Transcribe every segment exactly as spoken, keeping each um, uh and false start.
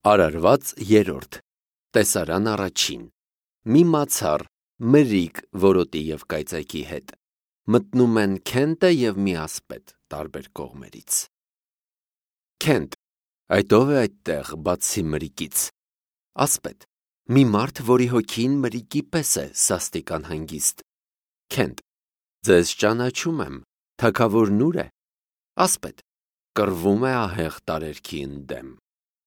Արարված երրորդ Տեսարան առաջին Մի մացառ, մրիկ, որոտի և կայծակի հետ մտնում են Քենտը և մի ասպետ տարբեր կողմերից։ Քենտ, այդ ով է այդտեղ բացի մրիկից։ Ասպետ, մի մարդ, որի հոգին մրիկի պես է սաստիկ անհանգիստ։ Քենտ, ձեզ ճանաչում եմ, թագավորն ուր է։ Ասպետ, կռվում է ահեղ տարերքի ընդդեմ,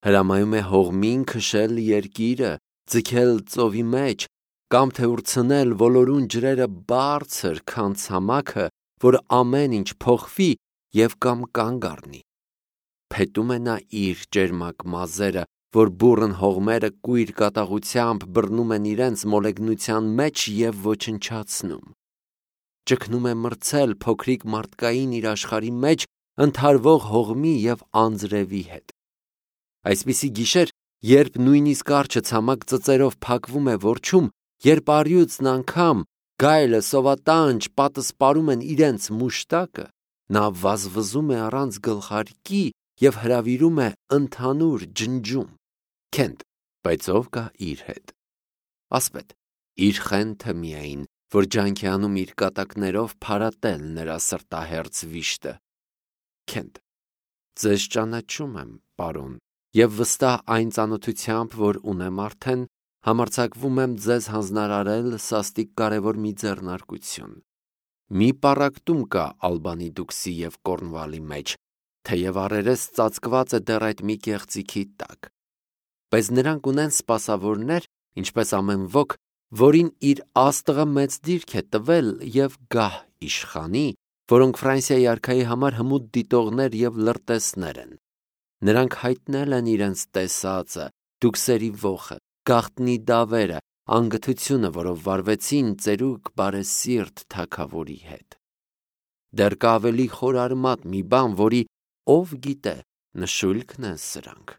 հրամայում է հողմին քշել երկիրը, ձգել ծովի մեջ, կամ թե ուրցնել ոլորուն ջրերը բարձր, քան ցամաքը, որ ամեն ինչ փոխվի և կամ կանգ առնի։ Փետում է նա իր ճերմակ մազերը, որ բուռն հողմերը կույր կատաղությամբ բռնում են իրենց մոլեգնության մեջ և ոչնչացնում։ Ճգնում է մրցել փոքրիկ մարդկային իր աշխարհի մեջ ընդհարվող հողմի և անձրևի հետ։ Այսպիսի գիշեր, երբ նույնիսկ արջը ցամաք ծծերով փակվում է որջում, երբ առյուծն անգամ, գայլը, սովատանջ, պատը սպարում են իրենց մուշտակը, նա վազվզում է առանց գլխարկի և հրավիրում է ընդհանուր ջնջում։ Քենտ, բայց ով կա իր հետ։ Ասպետ, իր խենթը միայն, որ ջանք է անում իր կատակներով փարատել նրա սրտահերձ վիշտը։ Քենտ, ձեզ ճանաչում եմ, պարոն, և վստահ այն ծանոթությամբ, որ ունեմ արդեն, համարձակվում եմ ձեզ հանձնարարել սաստիկ կարևոր մի ձեռնարկություն։ Մի պառակտում կա Ալբանի Դուքսի և Կորնվալի մեջ, թեև առերես ծածկված է դեռ այդ մի կեղծիքի տակ։ Բայց նրանք ունեն սպասավորներ, ինչպես ամեն ոք, որին իր աստղը մեծ դիրք է տվել և գահ իշխանի, որոնք Ֆրանսիայի արքայի համար հմուտ դիտողներ և լրտեսներ են։ Նրանք հայտնել են իրենց տեսածը, դուքսերի ոխը, գաղտնի դավերը, անգթությունը, որով վարվեցին ծերուկ բարեսիրտ թագավորի հետ։ Դեռ կա ավելի խորարմատ մի բան, որի ով գիտե նշույլքն են սրանք։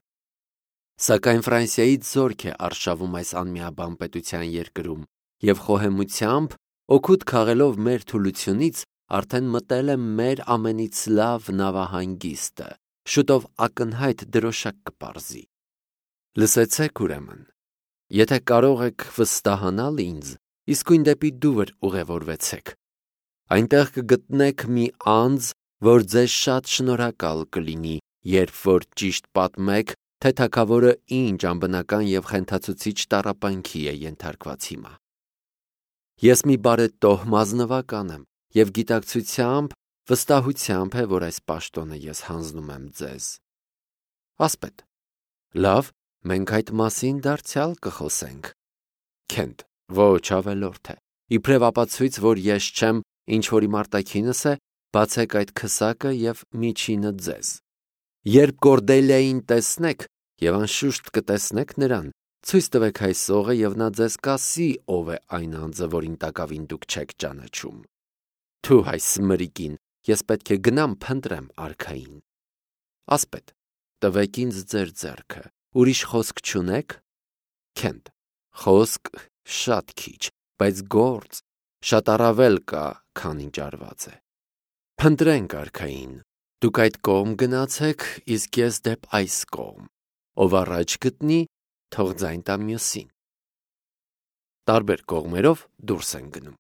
Սակայն Ֆրանսիայից զորք է արշավում այս անմիաբան պետության երկրում, և խոհեմությամբ, օգուտ քաղելով մեր թուլությունից, արդեն մտել է մեր ամենից լավ նավահանգիստը, շուտով ակնհայտ դրոշակ կպարզի։ Լսեցեք ուրեմն, եթե կարող եք վստահանալ ինձ, իսկույն դեպի Դուվր ուղևորվեցեք։ Այնտեղ կգտնեք մի անձ, որ ձեզ շատ շնորհակալ կլինի, երբ որ ճիշտ պատմեք, թե թագավորը ինչ անբնական և խենթացուցիչ տառապանքի է ենթարկված հիմա։ Ես մի բարետոհ մասնվական եմ, և գիտակցությամբ, վստահությամբ է, որ այս պաշտոնը ես հանձնում եմ ձեզ։ Ասպետ, լավ, մենք այդ մասին դարձյալ կխոսենք։ Քենտ, ոչ ավելորդ է, իբրև ապացույց, որ ես չեմ, ինչ որ իմ արտաքինս է, բացեք այդ քսակը և միջինը ձեզ։ Երբ Կորդելիային տեսնեք, և անշուշտ կտեսնեք նրան, ցույց տվեք այս օղը, և նա ձեզ կասի, ով է այն անձը, որին տակավին դուք չեք ճանաչում։ Թու այս մրիկին, ես պետք է գնամ փնտրեմ արքային։ Ասպետ, տվեք ինձ ձեր ձեռքը, ուրիշ խոսք չունե՞ք։ Քենտ, խոսք շատ քիչ, բայց գործ շատ առավել կա, քան ինչ արված է։ Փնտրենք արքային, դուք այդ կողմ գնացեք, իսկ ես դեպ այս կողմ, ով առաջ գտնի, թող ձայն տա մյուսին։ Տարբեր կողմերով դուրս են գնում։